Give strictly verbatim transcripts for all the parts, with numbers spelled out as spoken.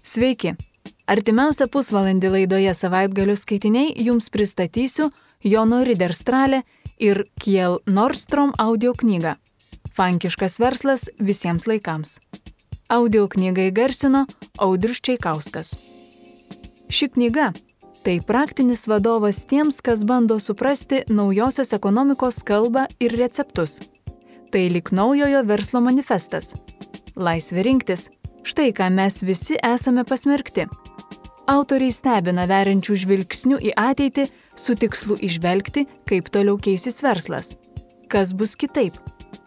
Sveiki! Artimiausią pusvalandį laidoje Savaitgalio skaitiniai jums pristatysiu Jono Riderstrale ir Kjell Nordstrom audio knygą Fankiškas verslas visiems laikams. Audio knygą įgarsino Audrius Čeikauskas. Ši knyga – tai praktinis vadovas tiems, kas bando suprasti naujosios ekonomikos kalbą ir receptus. Tai lyg naujojo verslo manifestas. Laisvė rinktis – štai ką mes visi esame pasmerkti. Autoriai stebina veriančių žvilgsnių į ateitį su tikslu įžvelgti, kaip toliau keisis verslas. Kas bus kitaip?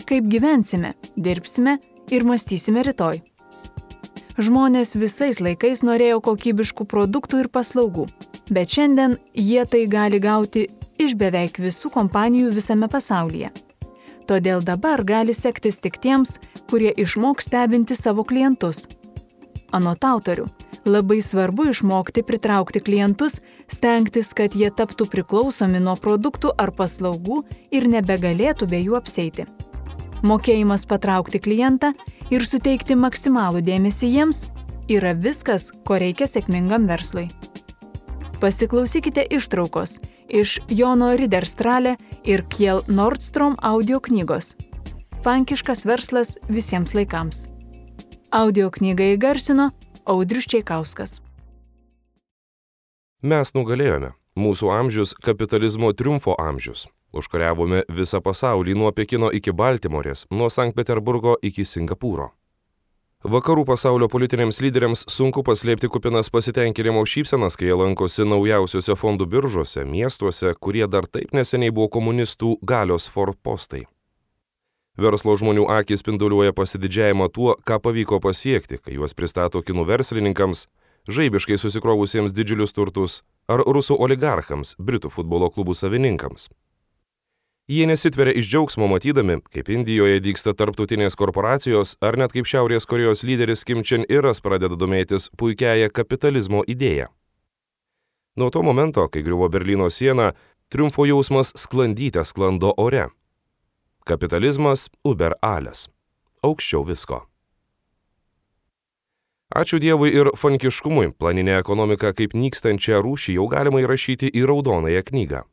Kaip gyvensime, dirbsime ir mąstysime rytoj. Žmonės visais laikais norėjo kokybiškų produktų ir paslaugų, bet šiandien jie tai gali gauti iš beveik visų kompanijų visame pasaulyje. Todėl dabar gali sektis tik tiems, kurie išmoks stebinti savo klientus. Anot autorių, labai svarbu išmokti pritraukti klientus, stengtis, kad jie taptų priklausomi nuo produktų ar paslaugų ir nebegalėtų be jų apsieiti. Mokėjimas patraukti klientą ir suteikti maksimalų dėmesį jiems yra viskas, ko reikia sėkmingam verslui. Pasiklausykite ištraukos iš Jono Riderstrale ir Kjell Nordstrom audio knygos Fankiškas verslas visiems laikams. Audio knygą įgarsino Audrius Čeikauskas. Mes nugalėjome. Mūsų amžius – kapitalizmo triumfo amžius. Užkariavome visą pasaulį nuo Pekino iki Baltimorės, nuo Sankt Peterburgo iki Singapūro. Vakarų pasaulio politiniams lyderiams sunku paslėpti kupinas pasitenkinimo šypsenas, kai jie lankosi naujausiuose fondų biržuose, miestuose, kurie dar taip neseniai buvo komunistų galios forpostai. Verslo žmonių akys spinduliuoja pasididžiavimą tuo, ką pavyko pasiekti, kai juos pristato kinų verslininkams, žaibiškai susikrovusiems didžiulius turtus, ar rusų oligarchams, britų futbolo klubų savininkams. Jie nesitveria iš džiaugsmo matydami, kaip Indijoje dygsta tarptautinės korporacijos, ar net kaip Šiaurės Korėjos lyderis Kim Chen Iras pradeda domėtis puikiąją kapitalizmo idėją. Nuo to momento, kai griuvo Berlyno siena, triumfo jausmas sklandyte sklando ore. Kapitalizmas über alles. Aukščiau visko. Ačiū Dievui ir fankiškumui, planinę ekonomiką kaip nykstančią rūšį jau galima įrašyti į raudonąją knygą.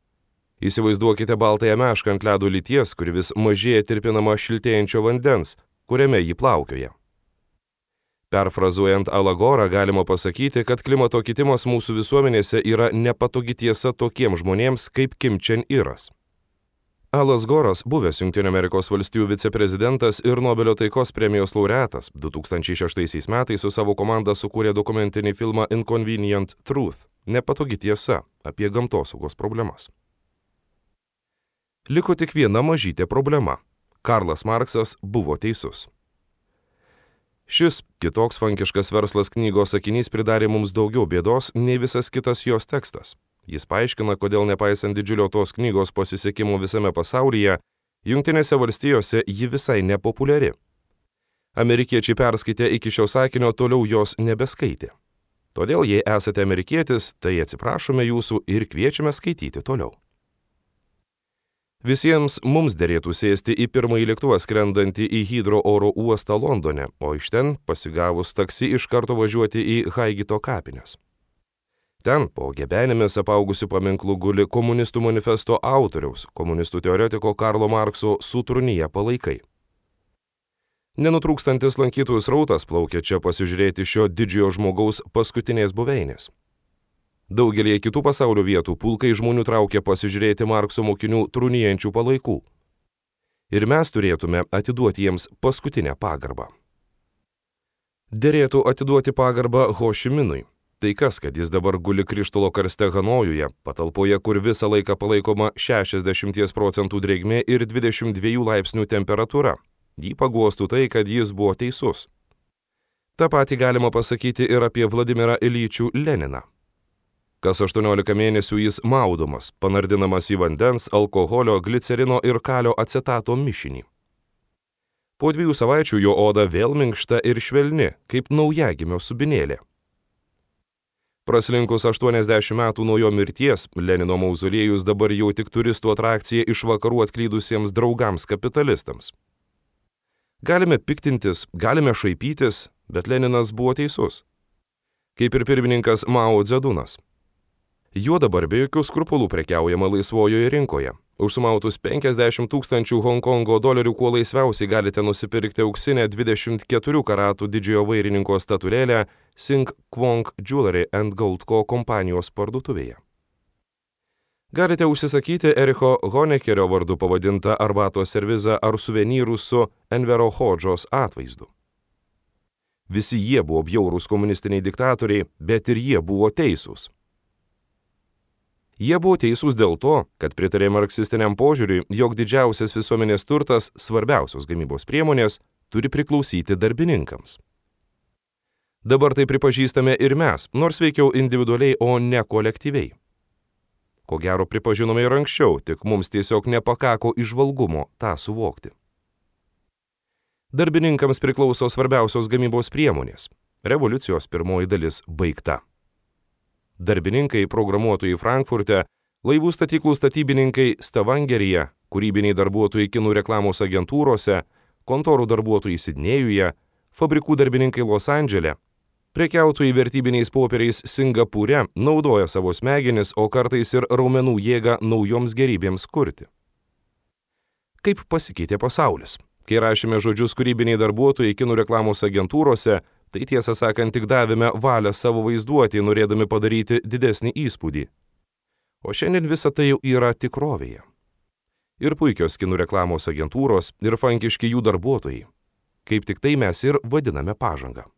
Įsivaizduokite baltąją mešką ant ledo lyties, kuri vis mažėja tirpinama šiltėjančio vandens, kuriame jį plaukioja. Perfrazuojant Alagorą galima pasakyti, kad klimato kitimas mūsų visuomenėse yra nepatogi tiesa tokiems žmonėms kaip Kim Chen Iras. Alas Goras, buvęs Jungtinių Amerikos valstijų viceprezidentas ir Nobelio taikos premijos laureatas, du tūkstančiai šeštaisiais metais su savo komanda sukūrė dokumentinį filmą Inconvenient Truth – nepatogi tiesa apie gamtosaugos problemas. Liko tik viena mažytė problema – Karlas Marksas buvo teisus. Šis kitoks fankiškas verslas knygos sakinys pridarė mums daugiau bėdos nei visas kitas jos tekstas. Jis paaiškina, kodėl nepaisant didžiulio tos knygos pasisekimo visame pasaulyje, Jungtinėse valstijose ji visai nepopuliari. Amerikiečiai perskaitę iki šio sakinio toliau jos nebeskaitė. Todėl, jei esate amerikietis, tai atsiprašome jūsų ir kviečiame skaityti toliau. Visiems mums derėtų sėsti į pirmąjį lėktuvą skrendantį į Hydro oro uostą Londone, o iš ten, pasigavus taksi, iš karto važiuoti į Haigito kapines. Ten po gebenėmis apaugusių paminklų guli komunistų manifesto autoriaus, komunistų teoretiko Karlo Markso sutrūniję palaikai. Nenutrūkstantis lankytojų srautas plaukia čia pasižiūrėti šio didžiojo žmogaus paskutinės buveinės. Daugelį kitų pasaulio vietų pulkai žmonių traukia pasižiūrėti Markso mokinių trūnijančių palaikų. Ir mes turėtume atiduoti jiems paskutinę pagarbą. Derėtų atiduoti pagarbą Ho Ši Minui. Tai kas, kad jis dabar guli krištolo karste Hanojuje, patalpoje, kur visą laiką palaikoma šešiasdešimt procentų drėgmė ir dvidešimt dviejų laipsnių temperatūra. Jį paguostų tai, kad jis buvo teisus. Ta pati galima pasakyti ir apie Vladimirą Ilyčių Leniną. Kas aštuoniolika mėnesių jis maudomas, panardinamas į vandens, alkoholio, glicerino ir kalio acetato mišinį. Po dviejų savaičių jo oda vėl minkšta ir švelni, kaip naujagimio subinėlė. Praslinkus aštuoniasdešimt metų nuo jo mirties, Lenino mauzoliejus dabar jau tik turistų atrakcija iš vakarų atklydusiems draugams kapitalistams. Galime piktintis, galime šaipytis, bet Leninas buvo teisus. kaip ir pirmininkas Mao Dzedunas. Juo dabar be jokių skrupulų prekiaujama laisvojoje rinkoje. Už sumautus penkiasdešimt tūkstančių Honkongo dolerių kuo laisviausiai galite nusipirkti auksinę dvidešimt keturių karatų didžiojo vairininko statulėlę Sing Kwong Jewelry and Gold Co. kompanijos parduotuvėje. Galite užsisakyti Ericho Honekerio vardu pavadintą arbatos servizą ar suvenyrų su Envero Hodžos atvaizdu. Visi jie buvo bjaurūs komunistiniai diktatoriai, bet ir jie buvo teisūs. Jie buvo teisūs dėl to, kad pritarė marksistiniam požiūriui, jog didžiausias visuomenės turtas, svarbiausios gamybos priemonės, turi priklausyti darbininkams. Dabar tai pripažįstame ir mes, nors veikiau individualiai, o ne kolektyviai. Ko gero pripažinome ir anksčiau, tik mums tiesiog nepakako įžvalgumo tą suvokti. Darbininkams priklauso svarbiausios gamybos priemonės. Revoliucijos pirmoji dalis baigta. Darbininkai programuotojai Frankfurte, laivų statyklų statybininkai Stavangeryje, kūrybiniai darbuotojai kinų reklamos agentūrose, kontorų darbuotojai Sidnėjuje, fabrikų darbininkai Los Andžele, prekiautojai vertybiniais popieriais Singapūre naudoja savo smegenis, o kartais ir raumenų jėgą naujoms gerybėms kurti. Kaip pasikeitė pasaulis? Kai rašėme žodžius kūrybiniai darbuotojai kinų reklamos agentūrose, tai tiesą sakant tik davėme valią savo vaizduotį, norėdami padaryti didesnį įspūdį. O šiandien visa tai jau yra tikrovėje. Ir puikios kinų reklamos agentūros, ir fankiški jų darbuotojai. Kaip tik tai mes ir vadiname pažangą.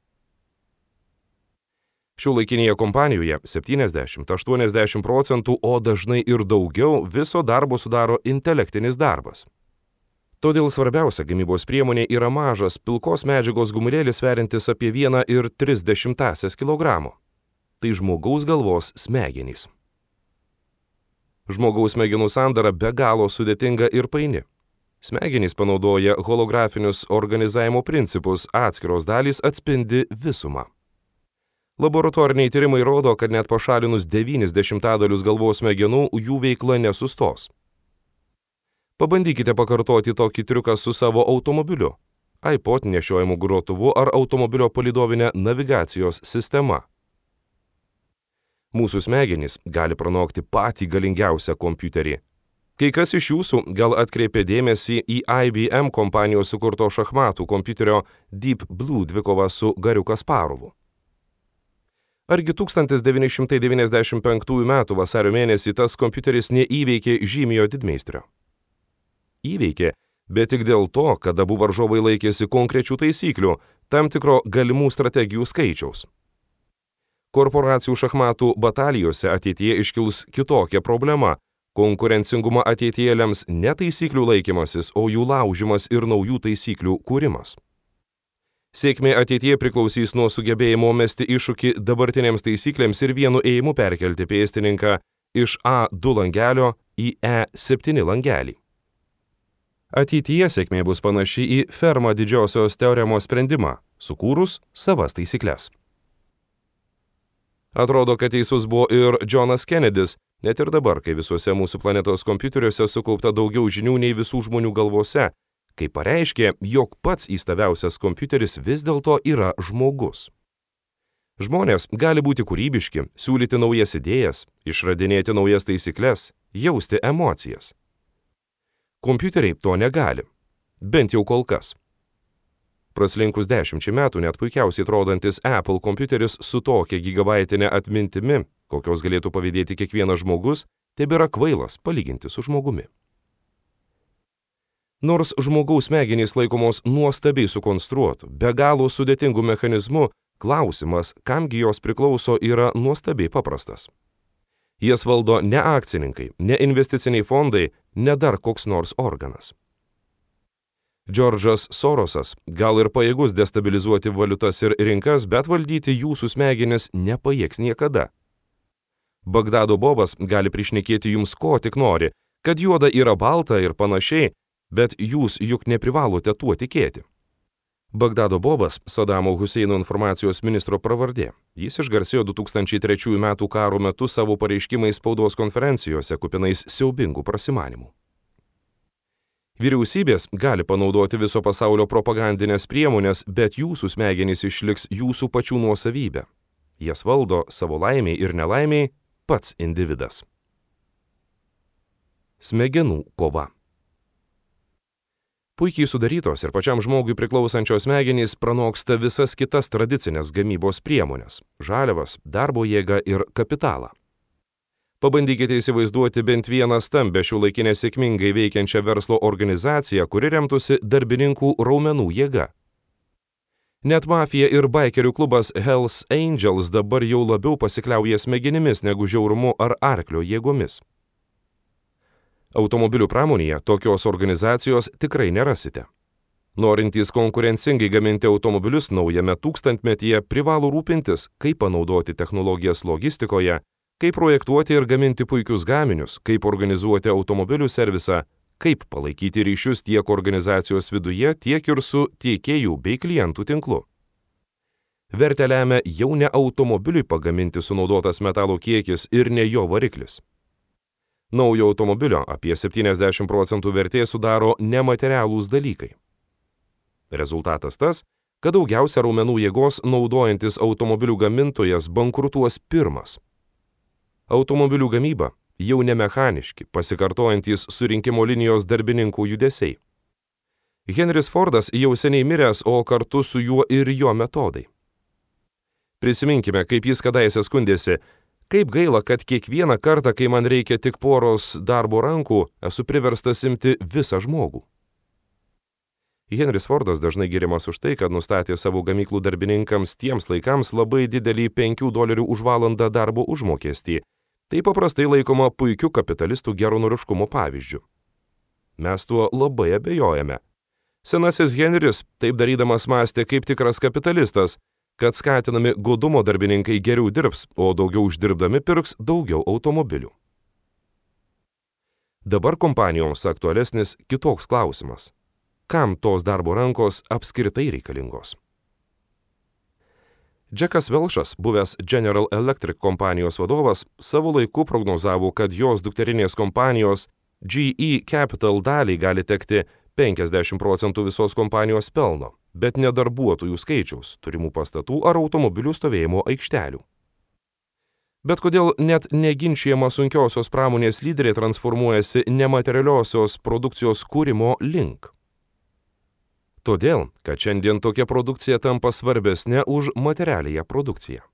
Šiuolaikinėje kompanijoje septyniasdešimt iki aštuoniasdešimt procentų, o dažnai ir daugiau, viso darbo sudaro intelektinis darbas. Todėl svarbiausia gamybos priemonė yra mažas, pilkos medžiagos gumulėlis sveriantis apie vieną ir tris dešimtąsias kilogramo. Tai žmogaus galvos smegenys. Žmogaus smegenų sandara be galo sudėtinga ir paini. Smegenys panaudoja holografinius organizavimo principus, atskiros dalys atspindi visumą. Laboratoriniai tyrimai rodo, kad net pašalinus devynis dešimtadalius galvos smegenų, jų veikla nesustos. Pabandykite pakartoti tokį triuką su savo automobiliu, iPod nešiojimu grotuvu ar automobilio palydovinė navigacijos sistema. Mūsų smegenys gali pranokti patį galingiausią kompiuterį. Kai kas iš jūsų gal atkreipė dėmesį į I B M kompanijos sukurto šachmatų kompiuterio Deep Blue dvikovą su Gariu Kasparovu. Argi tūkstantis devyni šimtai devyniasdešimt penktųjų metų vasario mėnesį tas kompiuteris neįveikė žymiojo didmeistrio? Įveikė, bet tik dėl to, kad abu varžovai laikėsi konkrečių taisyklių, tam tikro galimų strategijų skaičiaus. Korporacijų šachmatų batalijose ateityje iškils kitokia problema. Konkurencingumą ateityje lems ne taisyklių laikymasis, o jų laužimas ir naujų taisyklių kūrimas. Sėkmė ateityje priklausys nuo sugebėjimo mesti iššūkį dabartinėms taisyklėms ir vienu ėjimu perkelti pėstininką iš A du langelio į E septyni langelį. Ateityje sėkmė bus panaši į Fermą didžiosios teoremos sprendimą, sukūrus savas taisyklės. Atrodo, kad teisus buvo ir Johnas Kennedys, net ir dabar, kai visuose mūsų planetos kompiuteriuose sukaupta daugiau žinių nei visų žmonių galvose, kai pareiškė, jog pats įstabiausias kompiuteris vis dėlto yra žmogus. Žmonės gali būti kūrybiški, siūlyti naujas idėjas, išradinėti naujas taisyklės, jausti emocijas. Kompiuteriai to negali, bent jau kol kas. Praslinkus dešimčiai metų net puikiausiai atrodantis Apple kompiuteris su tokia gigabaitinė atmintimi, kokios galėtų pavydėti kiekvienas žmogus, tebėra kvailas palyginti su žmogumi. Nors žmogaus smegenys laikomos nuostabiai sukonstruotų, be galo sudėtingų mechanizmų, klausimas, kamgi jos priklauso, yra nuostabiai paprastas. Jas valdo ne akcininkai, ne investiciniai fondai, ne dar koks nors organas. Džordžas Sorosas gal ir pajėgus destabilizuoti valiutas ir rinkas, bet valdyti jūsų smegenis nepajėgs niekada. Bagdado Bobas gali prišnekėti jums ko tik nori, kad juoda yra balta ir panašiai, bet jūs juk neprivalote tuo tikėti. Bagdado Bobas – Sadamo Huseino informacijos ministro pravardė. Jis išgarsėjo du tūkstančiai trečiųjų metų karo metu savo pareiškimais spaudos konferencijose kupinais siaubingų prasimanimų. Vyriausybės gali panaudoti viso pasaulio propagandinės priemonės, bet jūsų smegenys išliks jūsų pačių nuosavybė. Jas valdo savo laimiai ir nelaimiai pats individas. Smegenų kova. Puikiai sudarytos ir pačiam žmogui priklausančios smegenys pranoksta visas kitas tradicinės gamybos priemonės – žaliavas, darbo jėgą ir kapitalą. Pabandykite įsivaizduoti bent vieną stambę šiuolaikinę sėkmingai veikiančią verslo organizaciją, kuri remtųsi darbininkų raumenų jėga. Net mafija ir baikerių klubas Hells Angels dabar jau labiau pasikliauja smegenimis negu žiaurumu ar arklio jėgomis. Automobilių pramonėje tokios organizacijos tikrai nerasite. Norintys konkurencingai gaminti automobilius naujame tūkstantmetyje privalo rūpintis, kaip panaudoti technologijas logistikoje, kaip projektuoti ir gaminti puikius gaminius, kaip organizuoti automobilių servisą, kaip palaikyti ryšius tiek organizacijos viduje, tiek ir su tiekėjų bei klientų tinklu. Vertę lemia jau ne automobiliui pagaminti sunaudotas metalo kiekis ir ne jo variklis. Naujo automobilio apie septyniasdešimt procentų vertės sudaro nematerialūs dalykai. Rezultatas tas, kad daugiausia raumenų jėgos naudojantis automobilių gamintojas bankrutuos pirmas. Automobilių gamyba jau ne mechaniški, pasikartojantys surinkimo linijos darbininkų judesiai. Henris Fordas jau seniai miręs, o kartu su juo ir jo metodai. Prisiminkime, kaip jis kadaise skundėsi, kaip gaila, kad kiekvieną kartą, kai man reikia tik poros darbo rankų, esu priverstas imti visą žmogų. Henris Fordas dažnai giriamas už tai, kad nustatė savo gamyklų darbininkams tiems laikams labai didelį penkių dolerių už valandą darbo užmokestį. Tai paprastai laikoma puikiu kapitalistų geranoriškumo pavyzdžiu. Mes tuo labai abejojame. Senasis Henris taip darydamas mąstė kaip tikras kapitalistas, kad skatinami godumo darbininkai geriau dirbs, o daugiau uždirbdami pirks daugiau automobilių. Dabar kompanijoms aktualesnis kitoks klausimas. Kam tos darbo rankos apskritai reikalingos? Džekas Velšas, buvęs General Electric kompanijos vadovas, savo laiku prognozavo, kad jos dukterinės kompanijos G E Capital daliai gali tekti penkiasdešimt procentų visos kompanijos pelno, bet ne darbuotojų skaičiaus, turimų pastatų ar automobilių stovėjimo aikštelių. Bet kodėl net neginčijama sunkiosios pramonės lyderiai transformuojasi nematerialiosios produkcijos kūrimo link? Todėl, kad šiandien tokia produkcija tampa svarbesnė už materialiąją produkciją.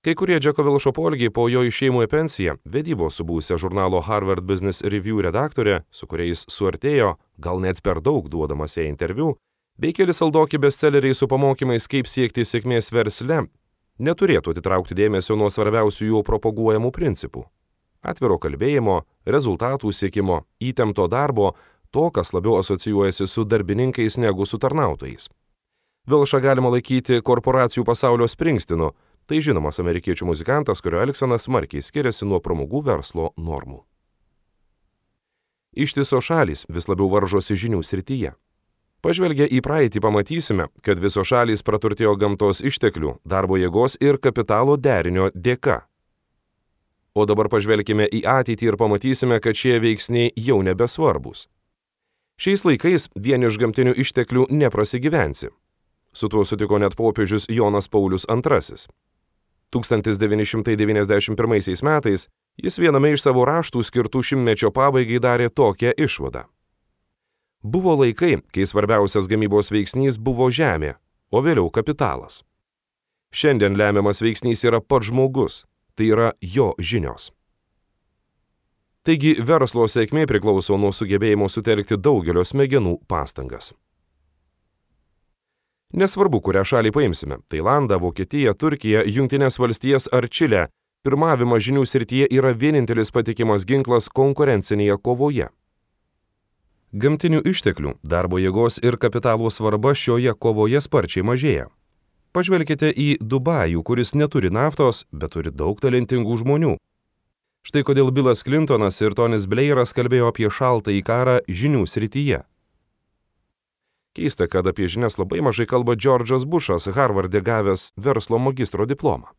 Kai kurie Džeko Velšo poelgiai po jo išėjimo į pensiją, vedybos su buvusia žurnalo Harvard Business Review redaktorė, su kuriais suartėjo, gal net per daug duodamas jai interviu, bei keli saldoki bestselleriai su pamokymais, kaip siekti sėkmės versle, neturėtų atitraukti dėmesio nuo svarbiausių jų propaguojamų principų – atviro kalbėjimo, rezultatų siekimo, įtempto darbo, to, kas labiau asocijuojasi su darbininkais negu su tarnautojais. Velšą galima laikyti korporacijų pasaulio Springsteinu, tai žinomas amerikiečių muzikantas, kurio elgsena smarkiai skiriasi nuo pramogų verslo normų. Ištisos šalys vis labiau varžosi žinių srityje. Pažvelgę į praeitį pamatysime, kad visos šalys praturtėjo gamtos išteklių, darbo jėgos ir kapitalo derinio dėka. O dabar pažvelkime į ateitį ir pamatysime, kad šie veiksniai jau nebesvarbus. Šiais laikais vien iš gamtinių išteklių neprasigyvensi. Su tuo sutiko net popiežius Jonas Paulius antrasis. tūkstantis devyni šimtai devyniasdešimt pirmaisiais metais jis viename iš savo raštų skirtų šimtmečio pabaigai darė tokią išvadą. Buvo laikai, kai svarbiausias gamybos veiksnys buvo žemė, o vėliau kapitalas. Šiandien lemiamas veiksnys yra pats žmogus, tai yra jo žinios. Taigi verslo sėkmė priklauso nuo sugebėjimo sutelkti daugelio smegenų pastangas. Nesvarbu, kurią šalį paimsime – Tailandą, Vokietiją, Turkiją, Jungtines valstijas ar Čilę – pirmavimas žinių srityje yra vienintelis patikimas ginklas konkurencinėje kovoje. Gamtinių išteklių, darbo jėgos ir kapitalo svarba šioje kovoje sparčiai mažėja. Pažvelkite į Dubajų, kuris neturi naftos, bet turi daug talentingų žmonių. Štai kodėl Bilas Clintonas ir Tonis Blairas kalbėjo apie šaltąjį karą žinių srityje. Keista, kad apie žinias labai mažai kalba Džordžas Bušas, Harvarde gavęs verslo magistro diplomą.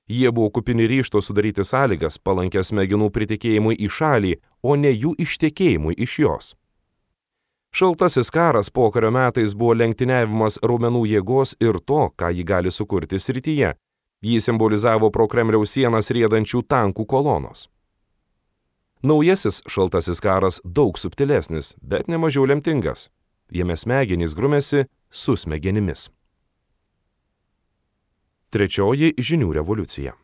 Jie buvo kupini ryžto sudaryti sąlygas palankęs smegenų pritekėjimui į šalį, o ne jų ištekėjimui iš jos. Šaltasis karas pokario metais buvo lenktyniavimas raumenų jėgos ir to, ką ji gali sukurti srityje. Jį simbolizavo pro Kremliaus sienas riedančių tankų kolonos. Naujasis šaltasis karas daug subtilesnis, bet nemažiau lemtingas. Jame smegenys grumėsi su smegenimis. Trečioji žinių revoliucija.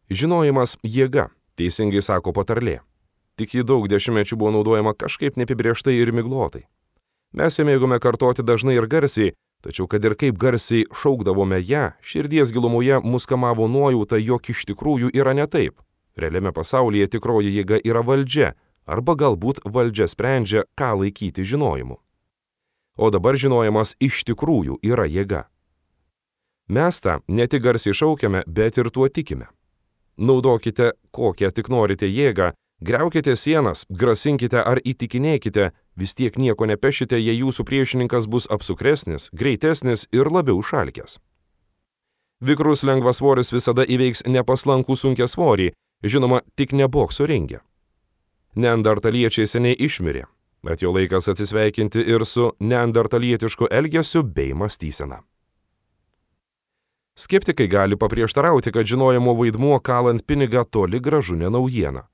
Žinojimas jėga, teisingai sako patarlė. Tik ji daug dešimtmečių buvo naudojama kažkaip neapibrėžtai ir miglotai. Mes ją mėgome kartoti dažnai ir garsiai, tačiau kad ir kaip garsiai šaukdavome ją, širdies gilumoje mus kamavo nuojauta, jog iš tikrųjų yra ne taip. Realiame pasaulyje tikroji jėga yra valdžia, arba galbūt valdžia sprendžia, ką laikyti žinojimu. O dabar žinojimas iš tikrųjų yra jėga. Mes tą ne tik garsiai šaukiame, bet ir tuo tikime. Naudokite kokią tik norite jėgą, griaukite sienas, grasinkite ar įtikinėkite, vis tiek nieko nepešite, jei jūsų priešininkas bus apsukresnis, greitesnis ir labiau šalkęs. Vikrus lengvasvoris visada įveiks nepaslankų sunkiasvorį, žinoma, tik ne bokso ringe. Neandertaliečiai seniai išmirė, bet jo laikas atsisveikinti ir su neandertalietišku elgesiu bei mąstysena. Skeptikai gali paprieštarauti, kad žinojimo vaidmuo kalant pinigą toli gražu ne naujiena.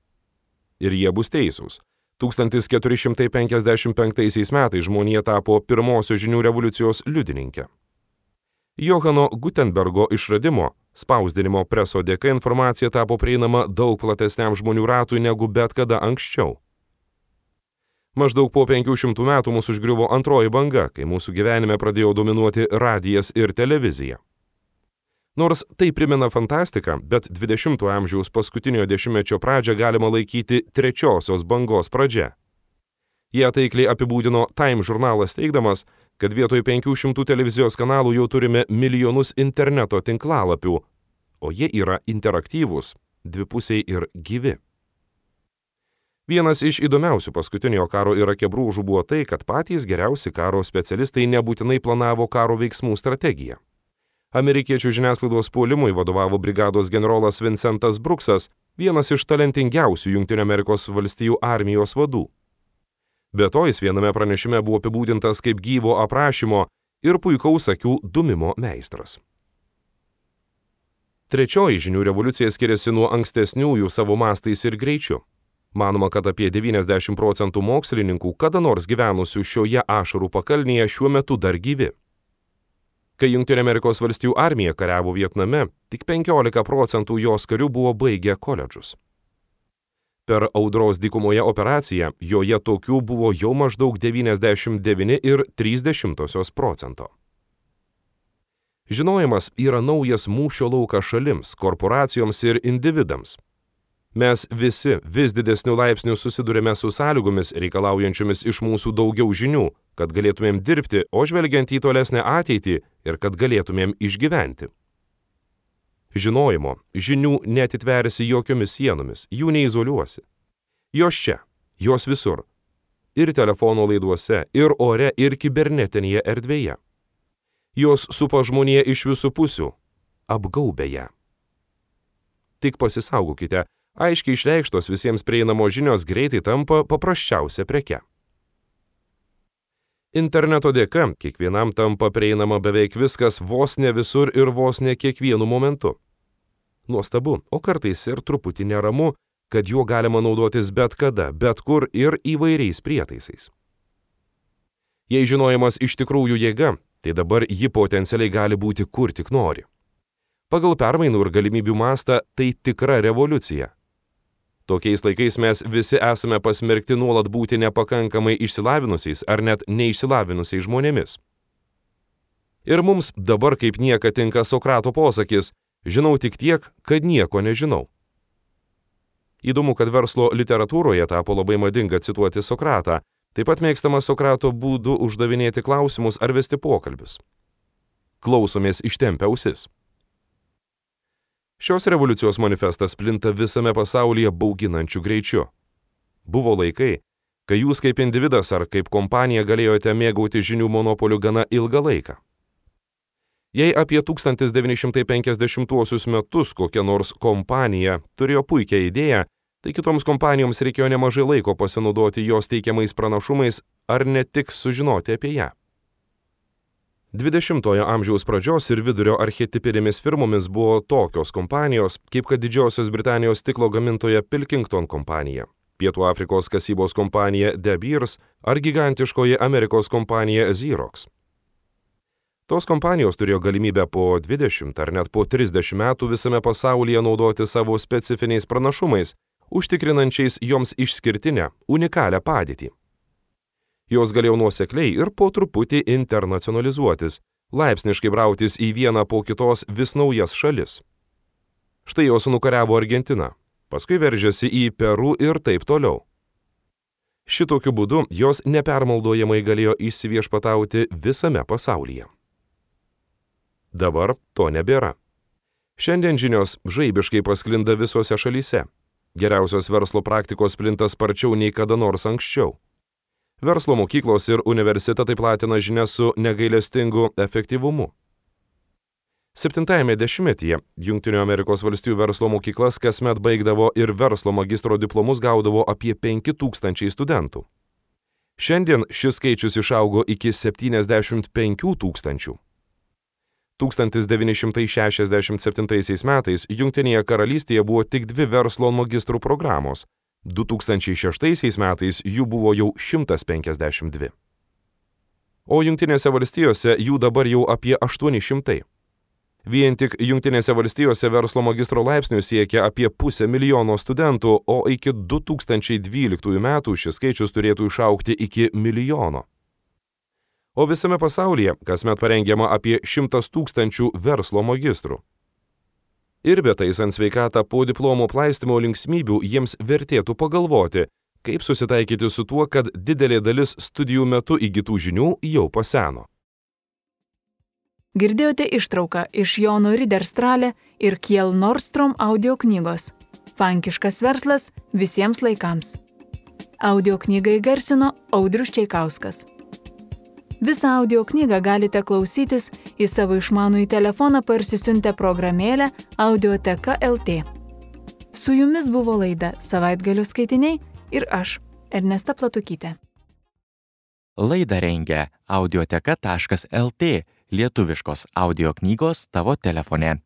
Ir jie bus teisūs. tūkstantis keturi šimtai penkiasdešimt penktaisiais metais žmonija tapo pirmosios žinių revoliucijos liudininke. Johano Gutenbergo išradimo, spausdinimo preso dėka informacija tapo prieinama daug platesniam žmonių ratui negu bet kada anksčiau. Maždaug po penkių šimtų metų mus užgriuvo antroji banga, kai mūsų gyvenime pradėjo dominuoti radijas ir televizija. Nors tai primena fantastiką, bet dvidešimtojo amžiaus paskutiniojo dešimtmečio pradžią galima laikyti trečiosios bangos pradžia. Jie taikliai apibūdino Time žurnalas teigdamas, kad vietoj penkių šimtų televizijos kanalų jau turime milijonus interneto tinklalapių, o jie yra interaktyvūs, dvipusiai ir gyvi. Vienas iš įdomiausių paskutiniojo karo Irake brūžų buvo tai, kad patys geriausi karo specialistai nebūtinai planavo karo veiksmų strategiją. Amerikiečių žiniasklaidos puolimui vadovavo brigados generolas Vincentas Bruksas, vienas iš talentingiausių Jungtinių Amerikos valstijų armijos vadų. Be to jis viename pranešime buvo apibūdintas kaip gyvo aprašymo ir puikaus akių dumimo meistras. Trečioji žinių revoliucija skiriasi nuo ankstesniųjų savo mastais ir greičiu. Manoma, kad apie devyniasdešimt procentų mokslininkų kada nors gyvenusių šioje ašarų pakalnėje šiuo metu dar gyvi. Kai Jungtinių Amerikos valstijų armija kariavo Vietname, tik penkiolika procentų jos karių buvo baigę koledžus. Per audros dykumoje operaciją joje tokių buvo jau maždaug devyniasdešimt devyni ir trys dešimtosios procento. Žinojimas yra naujas mūšio laukas šalims, korporacijoms ir individams. Mes visi vis didesniu laipsniu susidurime su sąlygomis reikalaujančiomis iš mūsų daugiau žinių, kad galėtumėm dirbti, o žvelgiant į tolesnę ateitį ir kad galėtumėm išgyventi. Žinojimo, žinių neatitversi jokiomis sienomis, jų neizoliuosi. Jos čia, jos visur. Ir telefono laiduose, ir ore, ir kibernetinėje erdvėje. Jos supa žmoniją iš visų pusių, apgaubia ją. Tik pasisaugokite, aiškiai išreikštos visiems prieinamos žinios greitai tampa paprasčiausia preke. Interneto dėka kiekvienam tampa prieinama beveik viskas vos ne visur ir vos ne kiekvienu momentu. Nuostabu, o kartais ir truputį neramu, kad juo galima naudotis bet kada, bet kur ir įvairiais prietaisais. Jei žinojimas iš tikrųjų jėga, tai dabar ji potencialiai gali būti kur tik nori. Pagal permainų ir galimybių mastą tai tikra revoliucija. Tokiais laikais mes visi esame pasmerkti nuolat būti nepakankamai išsilavinusiais ar net neišsilavinusiais žmonėmis. Ir mums dabar kaip niekad tinka Sokrato posakis: žinau tik tiek, kad nieko nežinau. Įdomu, kad verslo literatūroje tapo labai madinga cituoti Sokratą, taip pat mėgstama Sokrato būdu uždavinėti klausimus ar vesti pokalbius. Klausomės ištempę ausis. Šios revoliucijos manifestas plinta visame pasaulyje bauginančiu greičiu. Buvo laikai, kai jūs kaip individas ar kaip kompanija galėjote mėgauti žinių monopolių gana ilgą laiką. Jei apie tūkstantis devyni šimtai penkiasdešimtuosius metus kokia nors kompanija turėjo puikią idėją, tai kitoms kompanijoms reikėjo nemažai laiko pasinaudoti jos teikiamais pranašumais ar ne tik sužinoti apie ją. dvidešimtojo amžiaus pradžios ir vidurio archetipinėmis firmomis buvo tokios kompanijos, kaip kad Didžiosios Britanijos stiklo gamintoja Pilkington kompanija, Pietų Afrikos kasybos kompanija De Beers ar gigantiškoji Amerikos kompanija Xerox. Tos kompanijos turėjo galimybę po dvidešimt ar net po trisdešimt metų visame pasaulyje naudoti savo specifiniais pranašumais, užtikrinančiais joms išskirtinę, unikalią padėtį. Jos galėjo nuosekliai ir po truputį internacionalizuotis, laipsniškai brautis į vieną po kitos vis naujas šalis. Štai jos nukariavo Argentiną, paskui veržėsi į Peru ir taip toliau. Šitokiu būdu jos nepermaldojamai galėjo įsiviešpatauti visame pasaulyje. Dabar to nebėra. Šiandien žinios žaibiškai pasklinda visose šalyse. Geriausios verslo praktikos plinta sparčiau nei kada nors anksčiau. Verslo mokyklos ir universitetai platina žinias su negailestingu efektyvumu. Septintajame dešimtmetyje Jungtinių Amerikos valstijų verslo mokyklas kasmet baigdavo ir verslo magistro diplomus gaudavo apie penki tūkstančiai studentų. Šiandien šis skaičius išaugo iki septyniasdešimt penkių tūkstančių. tūkstantis devyni šimtai šešiasdešimt septintaisiais metais Jungtinėje karalystėje buvo tik dvi verslo magistrų programos, du tūkstančiai šeštaisiais metais jų buvo jau šimtas penkiasdešimt dvi. O Jungtinėse valstijose jų dabar jau apie aštuoni šimtai. Vien tik Jungtinėse valstijose verslo magistro laipsnių siekia apie pusę milijono studentų, o iki du tūkstančiai dvyliktųjų metų šis skaičius turėtų išaugti iki milijono. O visame pasaulyje kasmet parengiama apie šimtas tūkstančių verslo magistrų. Ir betaisant sveikatą po diplomo plaistymo linksmybių jiems vertėtų pagalvoti, kaip susitaikyti su tuo, kad didelė dalis studijų metu įgytų žinių jau paseno. Girdėjote ištrauką iš Jono Riderstrale ir Kjell Nordstrom audio knygos Fankiškas verslas visiems laikams. Audio knygą įgarsino Audrius Čeikauskas. Visą audio knygą galite klausytis į savo išmanųjį telefoną parsisiuntę programėlę Audioteka L T. Su jumis buvo laida Savaitgalio skaitiniai ir aš, Ernesta Platukytė. Laidą rengia audioteka taškas L T, lietuviškos audio knygos tavo telefone.